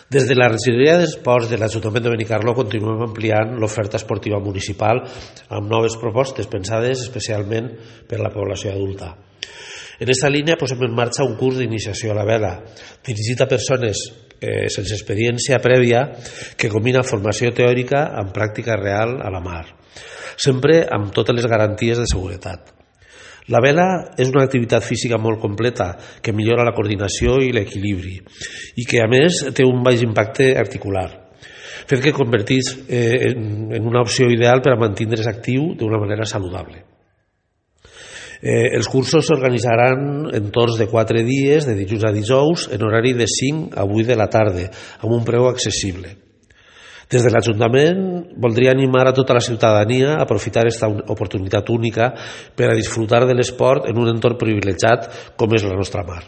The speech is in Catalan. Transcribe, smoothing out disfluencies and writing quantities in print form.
Des de la regidoria d'Esports de l'Ajuntament de Benicarló continuem ampliant l'oferta esportiva municipal amb noves propostes pensades especialment per a la població adulta. En aquesta línia posem en marxa un curs d'iniciació a la vela dirigit a persones sense experiència prèvia que combina formació teòrica amb pràctica real a la mar, sempre amb totes les garanties de seguretat. La vela és una activitat física molt completa que millora la coordinació i l'equilibri i que a més té un baix impacte articular, fet que converteix en una opció ideal per a mantindre's actiu d'una manera saludable. Els cursos s'organitzaran en torns de 4 dies, de dilluns a dijous, en horari de 5 a 8 de la tarda, amb un preu accessible. Des de l'Ajuntament voldria animar a tota la ciutadania a aprofitar aquesta oportunitat única per a disfrutar de l'esport en un entorn privilegiat com és la nostra mar.